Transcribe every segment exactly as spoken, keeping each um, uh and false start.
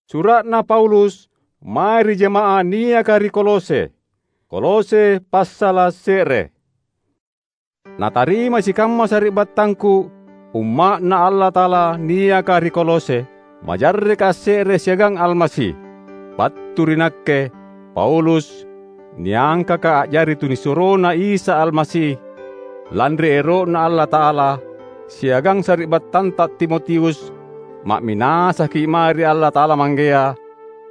Sura'na Paulus mae ri jama'ah niaka ri Kolose. Kolose passala’ se're. Natarimai sikamma sari'battangku, umma'Na Allata'ala niaka ri Kolose, majarreka asse're siagang Almasi. Battu ri nakke, Paulus, niangkaka a'jari tunisuroNa Isa Almasi, lanri ero'Na Allata'ala, siagang sari'battanta Timotius, ma'minasaki’ mae ri Allata'ala Manggea,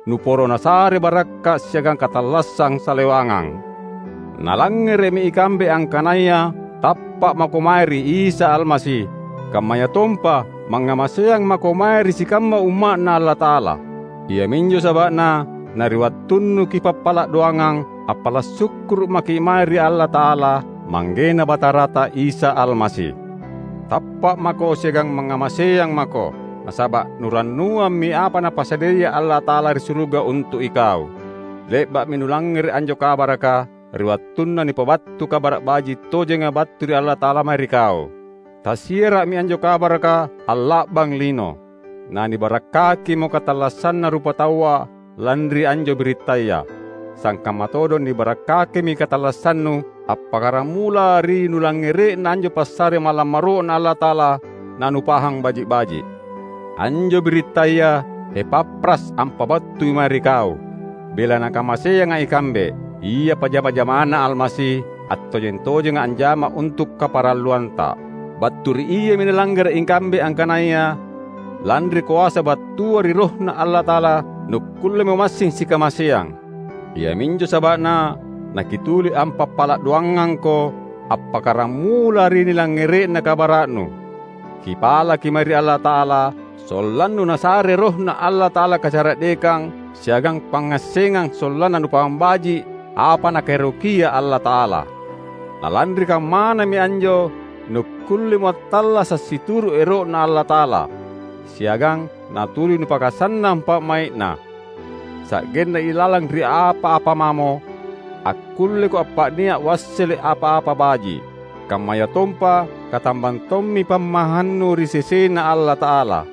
nuporo Nasare barakka’ siagang katallassang salewangang. Nalangngere'mi ikambe angkanaya tappa’ mako mae ri Isa Almasi, kammayatompa mangngamaseang mako mae ri sikamma umma'Na Allata'ala. Iaminjo saba'na na ri wattunnu kipappala’ doangang, appala’ sukkuru’ maki’ mae ri Allata'ala, ManggeNa Batarata Isa Almasi. Tappa’ mako siagang mangngamaseang mako, nasaba’ nurannuammi apa Napasadiaya Allata'ala ri suruga untu’ ikau. Le'ba'mi nulangngere’ anjo kabaraka ri wattunna nipabattu Kabara’ Baji’ tojenga battu ri Allata'ala mae ri kau. Tasiara'mi anjo kabaraka alla'bang lino. Nanibarakkakimo katallassanna rupataua lanri anjo birittaya. Sangkamma todong nibarakkakimi katallassannu appakkaramula ri nulangngere'na anjo passare malammaro'Na Allata'ala nanupahang baji’-baji’. Anjo birittaya Epafras ampabattui mae ri kau. Bela nakamaseanga ikambe, ia pajama-jamana Almasi, attojeng-tojenga anjama untu’ kaparalluanta. Battu ri iami nalangngere'i ikambe angkanaya, lanri koasa battua ri RohNa Allata'ala, nukkullemo massing sikamaseang. Iaminjo saba'na nakituli ampappala’ doangangko appakkaramula ri nilangngere'na kabara'nu. Kipalaki mae ri Allata'ala, sollannu Nasare RohNa Allata'ala kacara'dekang siagang pangngassengang sollanna nupahang baji’ apa Nakaerokia Allata'ala. Na lanri kammanami anjo nukkullemo attallasa’ situru’ ero'Na Allata'ala, siagang natuli nupakasannang pa'mai'Na. Sa'genna ilalang ri apa-apa mamo, akkulleko appa'nia’ uassele’ apa-apa baji’, kammayatompa katambang tommi pammahannu ri sesena Allata'ala.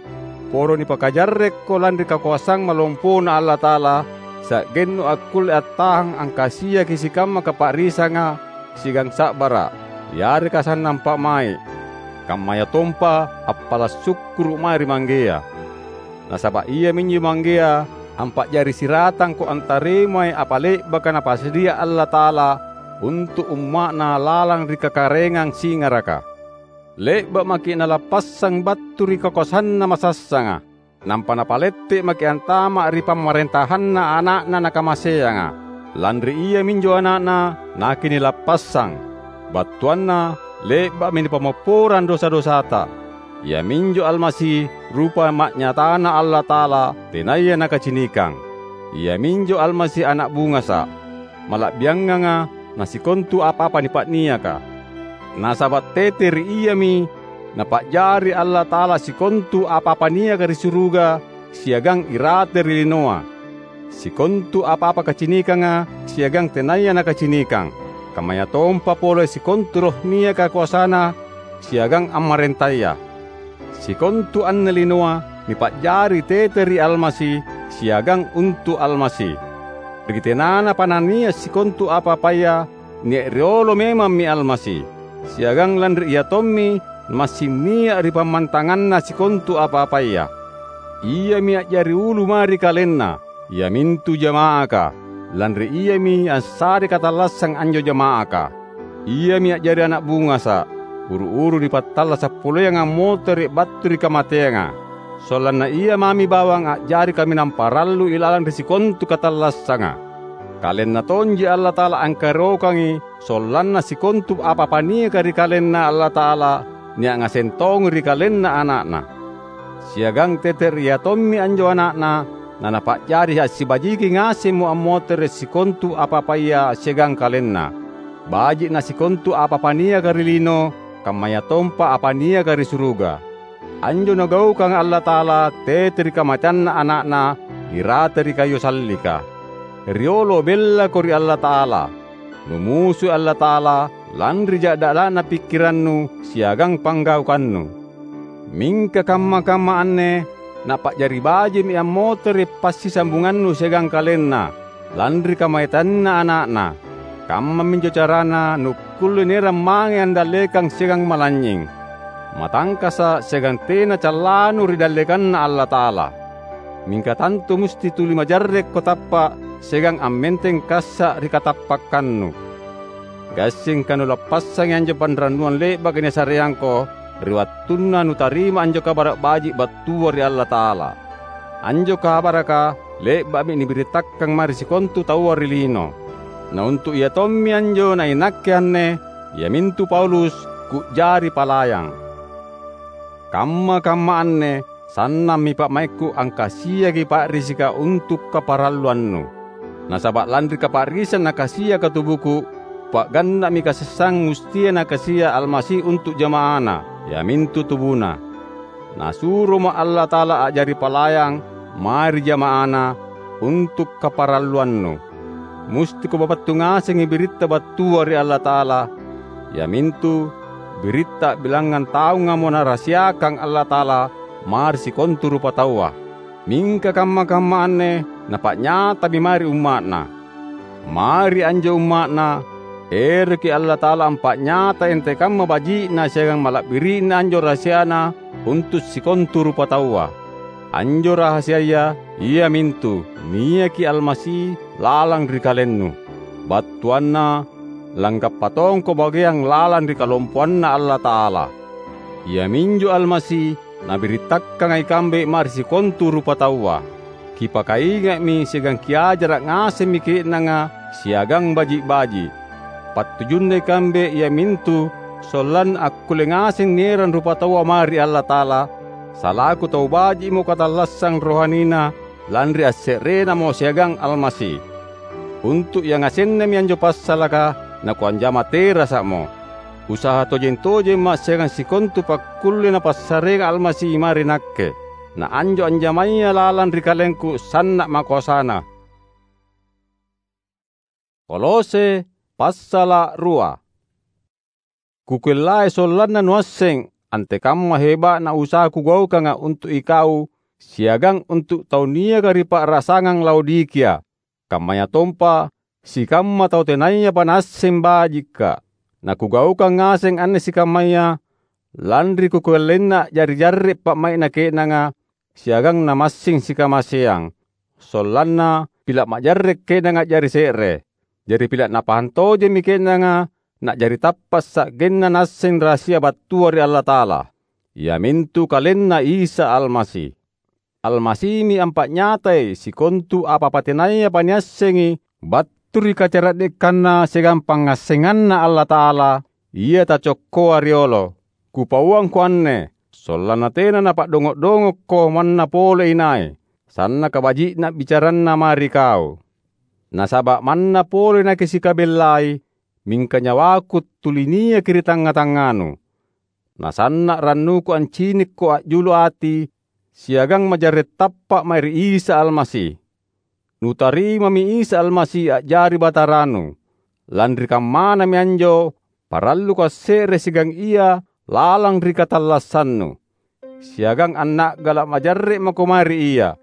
Poro nipakajarrekko lanri kakoasang malompona Allata'ala, sa'gennu akkulle attahang angkasiaki sikamma kapa'risanga siagang sa'bara’, yareka sannang pa'mai’, kammayatompa appala’ sukkuru’ mae ri Manggea. Nasaba’ Iaminjo Manggea ampa'jari siratangko antaremai apa le'baka Napasadia Allata'ala untu’ umma'Na lalang ri kakaraengang singaraka. Le'ba’ maki’ Nalappassang battu ri kakoasanNa masassanga, nampa Napalette’ maki’ antama’ ri pamarentahanna Ana'Na Nakamaseanga. Lanri Iaminjo Ana'Na nakinilappassang, battuanna le'ba'mi nipammopporang dosa-dosata. Iaminjo Almasi rupa ma'nyatana Allata'ala tenaya nakacinikang. Iaminjo Almasi ana’ bungasa’, mala'bianganga na sikontu apa-apa nipa'niaka. Nasaba’ tete ri Iami Napa'jari Allata'ala sikontu apa-apa niaka ri suruga siagang irate ri linoa, sikontu apa-apa kacinikanga siagang tenaya nakacinikang, kammayatompa pole sikontu roh niaka koasana siagang ammarentaya. Sikontu anne linoa nipa'jari tete ri Almasi siagang untu’ Almasi. Ri tenanapa nania’ sikontu apa-apaya, nia’ riolo memammi Almasi, siagang lanri Ia tommi massing nia’ ri pammantanganna sikontu apa-apaya. Iami a'jari ulu mae ri KalenNa, iamintu jama'aka, lanri Iami assarei katallassang anjo jama'aka. Iami a'jari ana’ bungasa’, uru-uru nipattallasa’ poleang ammotere’ battu ri kamateanga, sollanna Ia mami bawang a'jari kaminang parallu ilalang ri sikontu katallassanga. KalenNa tonji Allata'ala angkaerokangi sollanna sikontu apa-apa niaka ri KalenNa Allata'ala nia’ ngaseng tongi ri KalenNa Ana'Na. Siagang tete ri Ia tommi anjo Ana'Na naNapa'jari assibajiki ngasemmo ammotere’ sikontu apa-apaya siagang KalenNa. Baji'na sikontu apa-apa niaka ri lino, kammayatompa apa niaka ri suruga. Anjo Nagaukanga Allata'ala tete ri kamateanNa Ana'Na irate ri kayu sallika. Riolo bellako ri Allata'ala. Numusui Allata'ala lanri ja'dala'na pikkirannu siagang panggaukannu. Mingka kamma-kamma anne napa'jari baji'mi ammotere’ passisambungannu siagang KalenNa, lanri kamateanNa Ana'Na. Kammaminjo carana nukkulle naerang mange andallekang siagang malanynying, matangkasa’ siagang tena callanu ri dallekanNa Allata'ala. Mingka tantu musti tuli majarrekko tappa’ siagang ammenteng kassa’ ri katappakkannu. Gassingka nulappassangi anjo panrannuang le'baka nisareangko ri wattunna nutarima anjo Kabara’ Baji’ battua ri Allata'ala. Anjo kabaraka le'ba'mi nibirittakkang mae ri sikontu taua ri lino. Na untu’ ia tommi anjo nainakke anne, iamintu Paulus, ku'jari palayang. Kamma-kamma anne sannammi pa'maikku angkasiaki pa'risika untu’ kaparalluannu. Nasaba’ lanri kapa'risang nakasiaka tubuku, pa'ganna'mi kasessang mustia nakasia Almasi untu’ jama'aNa, iamintu tubuNa. Nasuromo Allata'ala a'jari palayang mae ri jama'aNa untu’ kaparalluannu. Mustiko babattu ngasengi biritta battua ri Allata'ala, iamintu biritta a'bilangngang taungamo Narahasiakang Allata'ala mae ri sikontu rupataua. Mingka kamma-kamma anne napa'nyatami mae ri umma'Na. Mae ri anjo umma'Na, eroki Allata'ala ampa'nyatai antekamma baji'na siagang mala'biri'na anjo rahasiaNa untu’ sikontu rupataua. Anjo rahasiaya iamintu niaki Almasi lalang ri kalennu. Battuanna, langgappa tongko bageang lalang ri kalompoanNa Allata'ala. Iaminjo Almasi nabirittakkanga ikambe mae ri sikontu rupataua. Kipakainga'mi siagang kiajara’ ngasemmi ke'nanga siagang baji’-baji’. Pattujunna ikambe iamintu sollanna akkulle ngaseng nierang rupataua mae ri Allata'ala, salaku tau baji'mo katallassang rohanina lanri asse'renamo siagang Almasi. Untu’ yangasennami anjo passalaka nakuanjama terasa'mo. Usaha tojeng-tojemma’ siagang sikontu pakkulle Napassareang Almasi mae ri nakke. Na anjo anjamaya lalang ri kalengku sanna’ makoasana. Kolose passala’ rua. Kukuellai sollanna nuasseng antekamma heba'na usaha kugaukanga untu’ ikau siagang untu’ tau niaka ri pa'rasangang Laodikia, kammayatompa sikamma tau tenayapa naasseng bajikka’. Nakugaukang ngaseng anne sikammaya, lanri kukuallenna a'jari jarre’ pa'mai'na ke'nanga siagang namassing sikamaseang, sollanna pila’ majarre’ ke'nanga a'jari se're. Jari pila’ napahang tojemmi ke'nanga na'jari tappa’ sa'genna naasseng rahasia battua ri Allata'ala, iamintu KalenNa Isa Almasi. Almasimi ampa'nyatai sikontu apa-apa tenayapa niassengi battu ri kacara'dekanNa siagang pangngassenganNa Allata'ala, Ia tacokkoa riolo. Kupauangko anne, sollanna tena napa'dongo’-dongokko manna pole inai, sannaka baji'na bicaranna mae ri kau. Nasaba’ manna pole nakisikabellai, mingka nyawaku tuli niaki ri tangnga-tangnganu. Nasanna’ rannuku ancinikko a'julu ati siagang majarre’ tappa’ mae ri Isa Almasi. Nutarimami Isa Almasi a'jari Bataranu. Lanri kammanami anjo, paralluko asse're siagang Ia lalang ri katallassannu, siagang anna'gala’ majarre’ mako mae ri Ia.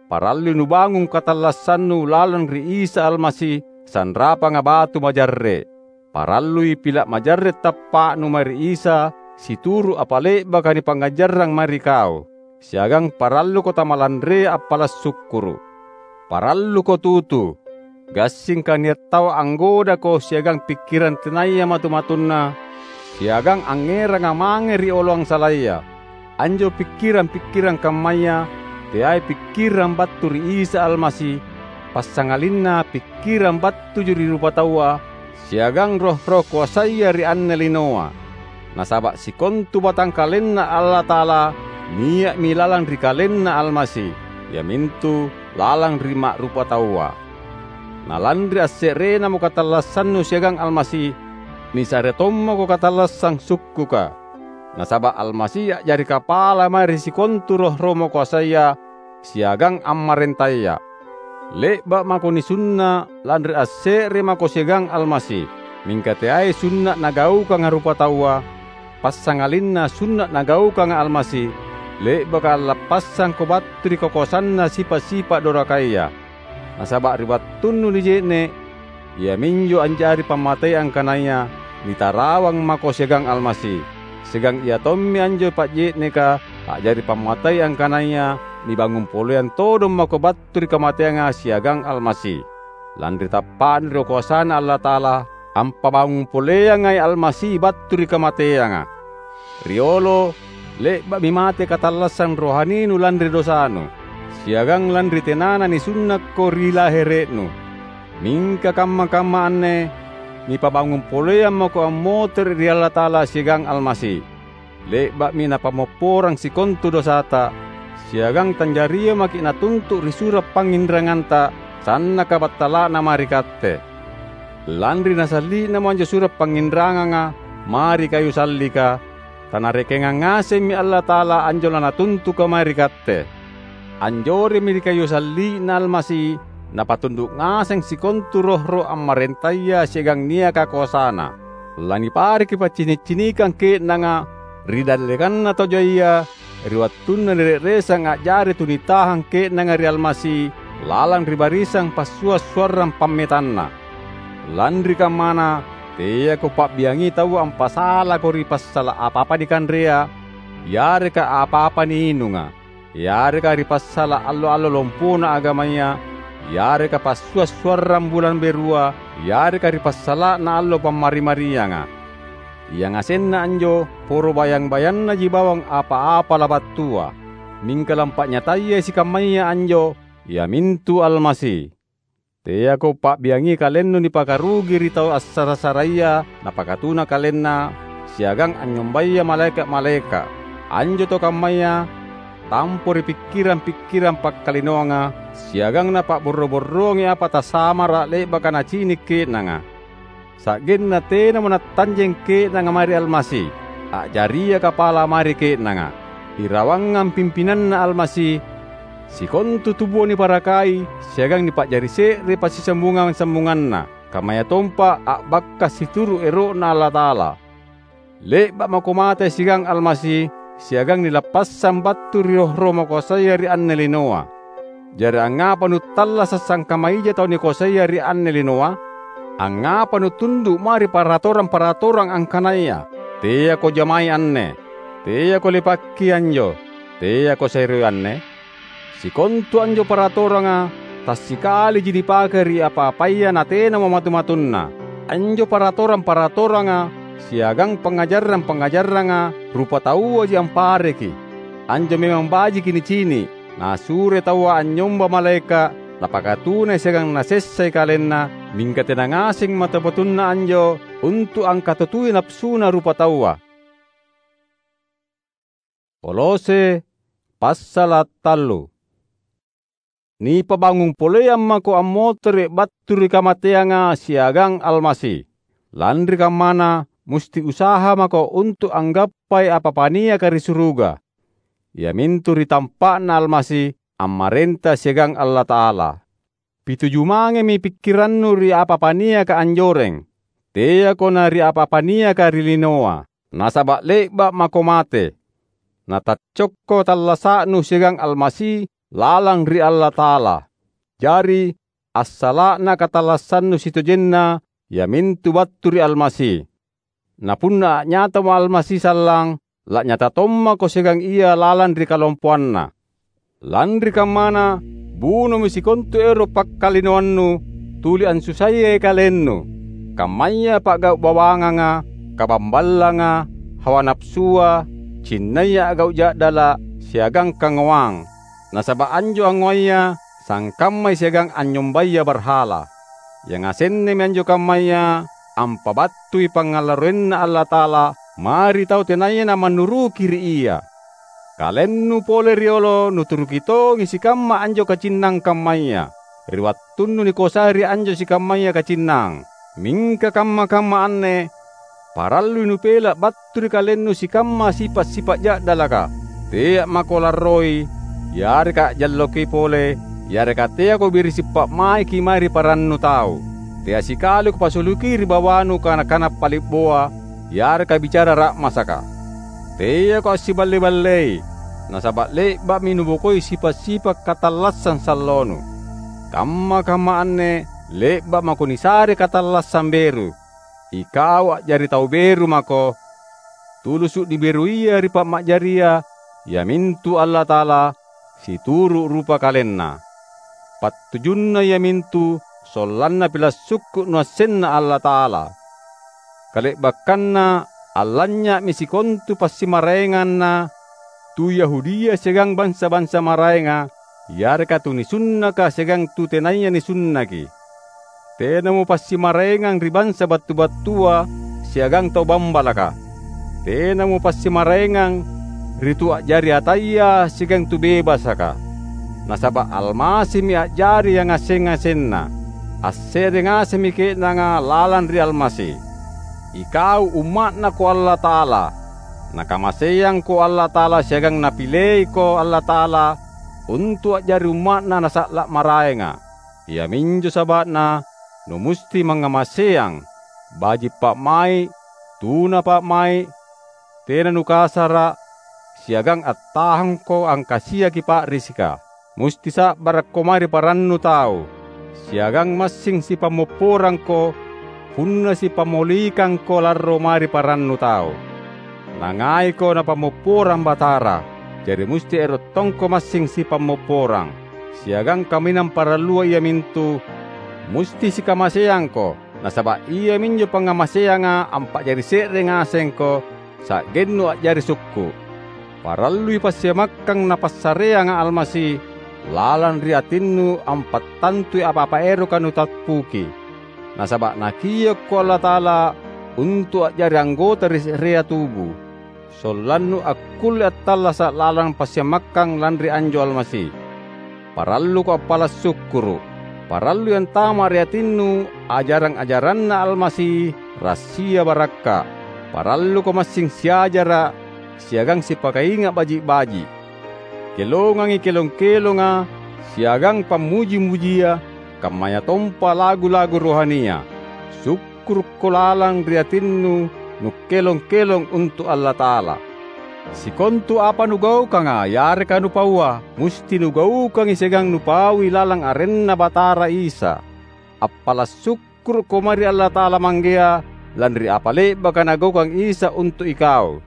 Parallui nubangung katallassannu lalang ri Isa Almasi, sanrapanga batu majarre’. Parallui pila’ majarre’ tappa'nu mae ri Isa situru’ apa le'baka nipangngajarrang mae ri kau, siagang paralluko tamalanrea appala’ sukkuru’. Paralluko tutu, gassingka nia’ tau anggodako siagang pikkirang tenaya matu-matunna, siagang angngeranga mange ri oloang salaya. Anjo pikkirang-pikkirang kammaya teai pikkirang battu ri Isa Almasi, passangalinna pikkirang battuju ri rupataua siagang roh-roh koasaya ri anne linoa. Nasaba’ sikontu batangkalenNa Allata'ala nia'mi lalang ri KalenNa Almasi, iamintu lalang ri ma'rupataua. Na lanri asse'renamo katallassannu siagang Almasi, nisare tommako katallassang sukkuka. Nasaba’ Almasi a'jari kapala mae ri sikontu roh-roh makoasaya siagang ammarentaya. Le'ba’ mako nisunna’ lanri asse're mako siagang Almasi, mingka teai sunna’ nagaukanga rupataua, passangalinna sunna’ nagaukanga Almasi, le'baka allappassangko battu ri kakoasanna sipa’-sipa’ dorakaya. Nasaba’ ri wattunnu nije'ne’, iaminjo anjari pammatei angkanaya nitarawang mako siagang Almasi, siagang ia tommi anjo pa'je'neka a'jari pammatei angkanaya nibangung poleang todong mako battu ri kamateanga siagang Almasi. Lanri tappa'na ri koasaNa Allata'ala, ampabangung poleangai Almasi battu ri kamateanga. Riolo, le'ba'mi mate katallassang rohaninu lanri dosanu, siagang lanri tenana nisunnakko ri lahere'nu. Mingka kamma-kamma anne nipabangung poleang mako ammotere’ ri Allata'ala siagang Almasi. Le'ba'mi Napammopporang sikontu dosata, siagang tanjaria maki’ Natuntu’ ri sura’ pangnginranganta sannaka battala'na mae ri katte. Lanri nasalli'namo anjo sura’ pangnginranganga mae ri kayu sallika, tanarekengang ngasemmi Allata'ala anjo laNatuntuka mae ri katte. Anjoremmi ri kayu salli'Na Almasi Napatundu’ ngaseng sikontu roh-roh ammarentaya siagang niaka koasaNa. Lanipareki paccini’-cinikang ke'nanga ri dallekanna tau jaia ri wattunna nire'resang a'jari tunitahang ke'nanga ri Almasi lalang ri barisang passua’-suarrang pammetanna. Lanri kammana, teako pa'biangi taua ampasalako ri passala’ apa-apa nikanrea, yareka apa-apa niinunga, yareka ri passala’ allo-allo lompona agamaya, yareka passua’-suarrang bulang berua, yareka ri passala'na allo Pammari-marianga. Yangasenna anjo poro bayang-bayannaji bawang apa-apa labattua. Mingka lampa'nyatayai sikammaya anjo, iamintu Almasi. Teako pa'biangi kalennu nipakarugi ri tau assara-saraya napakatuna kalenna siagang anynyombaya malaeka’-malaeka’. Anjo tau kammaya tampo ri pikkirang-pikkirang pakkalinoanga siagang napa'borro-borroangi apa tasamara’ le'baka nacini’ ke'nanga. Sa'genna tenamo nattanjeng ke'nanga mae ri Almasi, a'jaria kapala mae ri ke'nanga, irawangang pimpinanNa Almasi, sikontu tubua niparakai siagang nipa'jari se're passisambungang-sambunganna, kammayatompa a'bakka’ situru’ ero'Na Allata'ala. Le'ba’ mako mate siagang Almasi, siagang nilappassang battu ri roh-roh makoasaya ri anne linoa. Jari angngapa nuttallasa’ sangkamma ija tau nikoasaya ri anne linoa? Angngapa nutundu’ mae ri paratorang-paratorang angkanaya, "Teako jamai anne, teako lepakki anjo, teako seroi anne"? Sikontu anjo paratoranga tassikaliji nipake ri apa-apaya natenamo matu-matunna. Anjo paratorang-paratoranga siagang pangngajarang-pangngajaranga rupatauaji ampareki. Anjo memang bajiki nicini’, nasuroi taua anynyomba malaeka’, napakatunai siagang nasessai kalenna, mingka tena ngaseng matu-matunna anjo untu’ angkatutui napasuna rupataua. Kolose passala’ tallu. Nipabangung poleang mako ammotere’ battu ri kamateanga siagang Almasi. Lanri kammana, musti usaha mako untu’ anggappai apa-apa niaka ri suruga, iamintu ri tampa'Na Almasi ammarenta siagang Allata'ala. Pituju mangemi pikkirannu ri apa-apa niaka anjoreng, teako na ri apa-apa niaka ri linoa. Nasaba’ le'ba’ mako mate, nataccokko tallasa'nu siagang Almasi lalang ri Allata'ala. Jari, assala'na katallassannu sitojenna iamintu battu ri Almasi. Na punna a'nyatamo Almasi sallang, la'nyata tommako siagang Ia lalang ri kalompoanNa. Lanri kammana, bunomi sikontu ero’ pakkalinoannu tuli ansusayai kalennu, kammaya pa'gau’ bawanganga, kabamballanga, hawa napasua, cinnaya a'gau’ ja'dala’, siagang kangoang. Nasaba’ anjo angngoaya sangkammai siagang anynyombaya barhala. Yangasennemi anjo kammaya ampabattui pangngalarroinNa Allata'ala mae ri tau tenaya namannuruki ri Ia. Kalennu pole riolo nuturuki tongi sikamma anjo kacinnang kammaya, ri wattunnu nikoasai ri anjo sikammaya kacinnang. Mingka kamma-kamma anne parallui nupela’ battu ri kalennu sikamma sipa’-sipa’ ja'dalaka. Tea’ mako larroi, yareka a'jalloki pole, yareka teako birisi’ pa'maiki mae ri parannu tau. Tea’ sikali kupasuliki ri bawanu kana-kana pali'boa, yareka bicara ra'masaka. Teako assiballe-ballei, nasaba' le'ba'mi nubokoi sipa'-sipa' katallassang sallonu. Kamma-kamma anne le'ba' mako nisare katallassang beru. Ikau a'jari tau beru mako, tulusu' niberuia ri pa'ma'jaria, iamintu Allata'ala, situru' rupa KalenNa. Pattujunna iamintu sollanna pila' sukku' nuassenna Allata'ala. Kale'bakkanna allanynya'mi sikontu passimaraenganna tu Yahudia siagang bansa-bansa maraenga, yareka tu nisunnaka siagang tu tenaya nisunnaki. Tenamo passimaraengang ri bansa battu-battua siagang tau bambalaka. Tenamo passimaraengang ri tu a'jari ataya siagang tu bebasaka. Nasaba' Almasimi a'jari yangaseng-ngasenna. Asse're ngasemmi ke'nanga lalang ri Almasi. Ikau umma'Nako Allata'ala. Nakamaseangko Allata'ala siagang Napileiko Allata'ala untu' a'jari umma'Na Nasa'la' maraenga. Iaminjo saba'na numusti mangngamaseang, baji' pa'mai', tuna pa'mai', tena nukasara', siagang attahangko angkasiaki pa'risika. Musti sa'barakko mae ri parannu tau, siagang massing sipammopporangko punna sipammolikangko larro mae ri parannu tau. Nangaiko Napammopporang Batara, jari musti ero' tongko massing sipammopporang. Siagang kaminang parallua iamintu, musti sikamaseangko, nasaba' iaminjo pangngamaseanga ampa'jari se're ngasengko, sa'gennu a'jari sukku'. Parallui passiamakkang Napassareanga Almasi lalang ri atinnu ampattantui apa-apa eroka nutappuki. Nasaba' Nakiokko Allata'ala untu' a'jari anggota ri se'rea tubu, sollannu akkulle attallasa' lalang passiamakkang lanri anjo Almasi. Paralluko appala' sukkuru'. Parallui antama' ri atinnu ajarang-ajaranNa Almasi rassia barakka'. Paralluko massing siajara' siagang sipakainga' baji'-baji'. Kelongangi kelong-kelonga siagang pammuji-mujia, kammayatompa lagu-lagu rohania. Sukkurukko lalang ri atinnu nukkelong-kelong untu' Allata'ala. Sikontu apa nugaukanga yareka nupaua, musti nugaukangi siagang nupaui lalang arenNa Batara Isa. Appala' sukkurukko mae ri Allata'ala Manggea lanri apa le'baka Nagaukang Isa untu' ikau.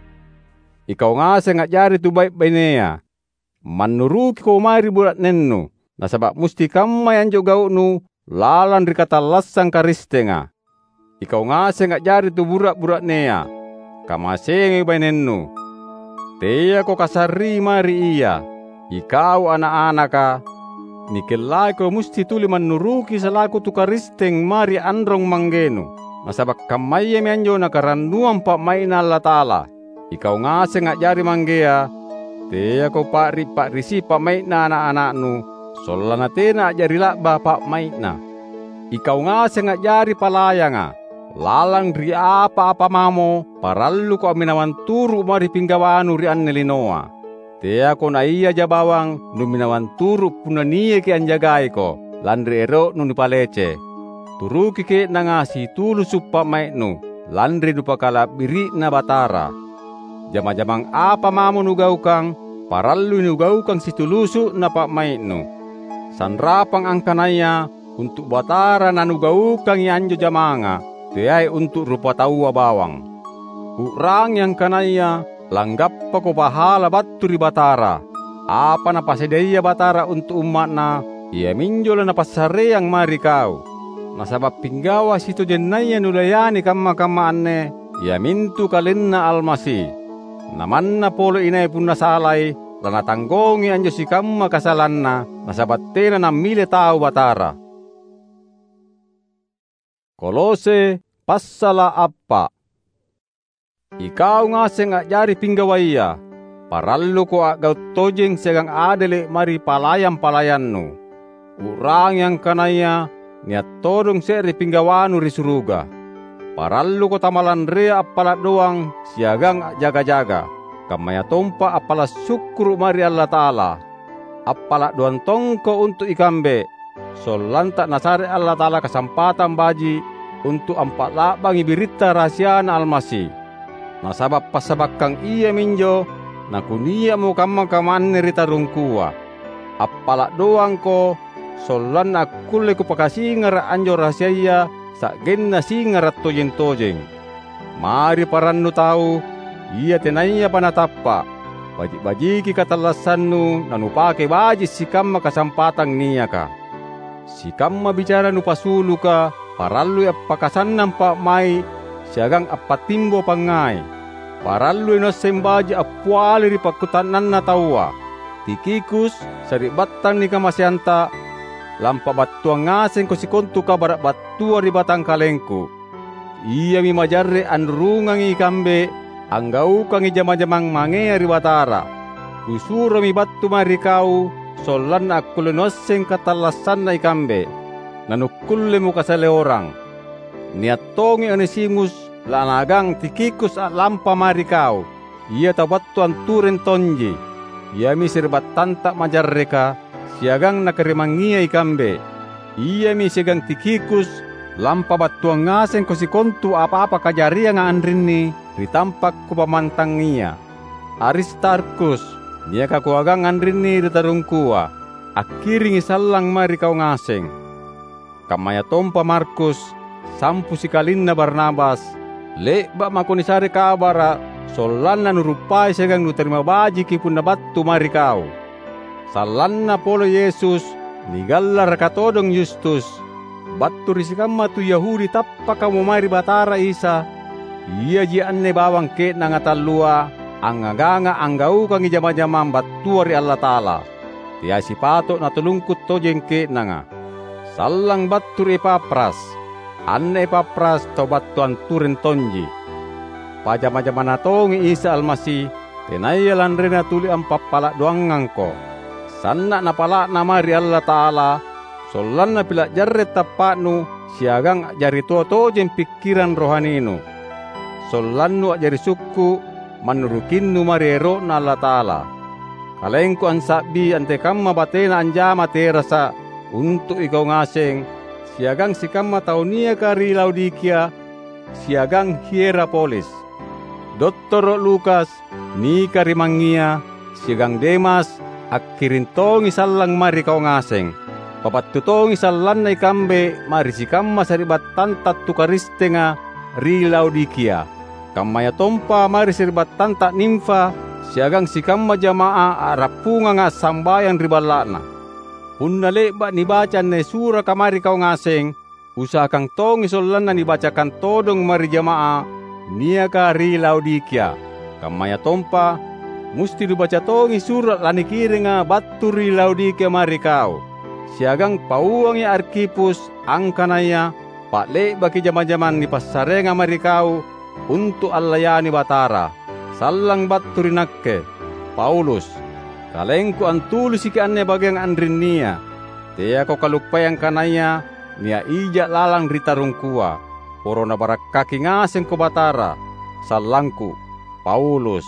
Ikau ngaseng a'jari tu bai'-bainea. Mannurukiko mae ri bura'nennu, nasaba' musti kammai anjo gau'nu lalang ri katallassang Karistenga. Ikau ngaseng a'jari tu bura'-bura'nea, kamaseangi bainennu. Teako kasarrii mae ri ia. Ikau ana'-anaka, nikellaiko musti tuli mannuruki salaku tu Karisteng mae ri anrong-manggenu, nasaba' kammayami anjo nakarannuang pa'mai'Na Allata'ala. Ikau ngaseng a'jari manggea, teako pa'ri'-pa'risi' pa'mai'na ana'-ana'nu, sollanna tena a'jari la'ba pa'mai'na. Ikau ngaseng a'jari palayanga, lalang ri apa-apa mamo paralluko amminawang turu' mae ri pinggawanu ri anne linoa. Teako naiaja bawang numinawang turu' punna niaki anjagaiko, lanri ero'nu nipalece. Turuki ke'nanga situlusu' pa'mai'nu, lanri nupakala'biri'na Batara. Jama-jamang apa mamo nugaukang, parallui nugaukang situlusu'na pa'mai'nu. Sanrapang angkanaya untu' Batara nanugaukangi anjo jamanga, teai untu' rupataua bawang. U'rangi angkanaya langgappako pahala battu ri Batara. Apa Napasadiaya Batara untu' umma'Na, iaminjo laNapassareang mae ri kau. Nasaba' pinggawa sitojennaya nulayani kamma-kamma anne, iamintu KalenNa Almasi. Na manna pole inai punna salai, lanatanggongi anjo sikamma kasalanna, nasaba' tena nammile tau Batara. Kolose passala' appa'. Ikau ngaseng a'jari pinggawaya, paralluko a'gau' tojeng siagang adele' mae ri palayang-palayannu. U'rangi angkanaya nia' todong se're pinggawanu ri suruga. Paralluko tamalanrea appala' doang siagang a'jaga-jaga, kammayatompa appala' sukkuru' mae ri Allata'ala. Appala' doang tongko untu' ikambe, sollanta Nasare Allata'ala kasampatang baji' untu' ampa'la'bangi biritta rahasiaNa Almasi. Nasaba' passabakkang iaminjo nakunia'mo kamma-kamma anne ri tarungkua. Appala' doangko, sollanna akkulle kupakasingara' anjo rahasiaya sa'genna singara' tojeng-tojeng. Mae ri parannu tau, ia tenayapa natappa', baji'-bajiki katallassannu nanupake baji' sikamma kasampatang niaka. Sikamma bicara nupasuluka parallui appakasannang pa'mai' siagang appattimbo pangngai. Parallui nuasseng baji' appiali ri pakkuta'nanna taua. Tikhikus, sari'battang nikamaseanta, lampabattuang ngasengko sikontu kabara' battua ri batangkalengku. Iami majarre' anrurungangi ikambe anggaukangi jama-jamang mangea ri Batara. Kusuromi battu mae ri kau, sollanna akkulle nuasseng katallassanna ikambe, nanukkullemo kasaleorang. Nia' tongi Onesimus, lanagang Tikhikus a'lampa mae ri kau. Ia tau battu antureng tonji. Iami sari'battanta majarreka, siagang nakarimangngia ikambe. Iami siagang Tikhikus, lampabattuang ngasengko sikontu apa-apa kajarianga anrinni ri tampa' kupammantangia. Aristarkhus, niaka kuagang anrinni ri tarungkua, akkiringi sallang mae ri kau ngaseng. Kammayatompa Markus, sampu sikalinna Barnabas, le'ba' mako nisare kabara' sollanna nuruppai siagang nutarima bajiki punna battu mae ri kau. Sallanna pole Yesus, nigallaraka todong Yustus, battu ri sikamma tu Yahudi tappakamo mae ri Batara Isa, iaji anne bawang ke'nanga tallua angngaganga anggaukangi jama-jamang battua ri Allata'ala. Teai sipato' natulungku tojeng ke'nanga. Sallang battu ri Epafras. Anne Epafras tau battu antureng tonji. Pajama-jamana tongi Isa Almasi, tenaya lanrena tuli ampappala' doangangko. Sanna' napala'na mae ri Allata'ala, sollanna pila' jarre' tappa'nu siagang a'jari toa tojeng pikkirang rohaninu. Sollannu a'jari sukku', mannurukinnu mae ri ero'Na Allata'ala. Kalengku ansa'bi antekamma batena anjama terasa untu' ikau ngaseng, siagang sikamma tau niaka ri Laodikia siagang Hierapolis. Dottoro' Lukas, nikarimangngia, siagang Demas, akkiring tongi sallang mae ri kau ngaseng. Pabattu tongi sallanna ikambe mae ri sikamma sari'battanta tu Karistenga ri Laodikia. Kammayatompa mae ri sari'battanta Nimfa siagang sikamma jama'ah a'rappunganga assambayang ri balla'na. Punna le'ba' nibaca anne suraka mae ri kau ngaseng, usahakang tongi sollanna nibacakang todong mae ri jama'ah niaka ri Laodikia. Kammayatompa, musti nubaca tongi sura' lanikiringa battu ri Laodikia mae ri kau. Siagang pauangi Arkhipus angkanaya pa'le'baki jama-jamang nipassareanga mae ri kau untu' allayani Batara, sallang battu ri nakke, Paulus. Kalengku antulisiki anne bageang anrinnia. Teako kaluppai angkanaya nia' ija' lalang ri tarungkua. Poro Nabarakkaki ngasengko Batara, sallangku, Paulus.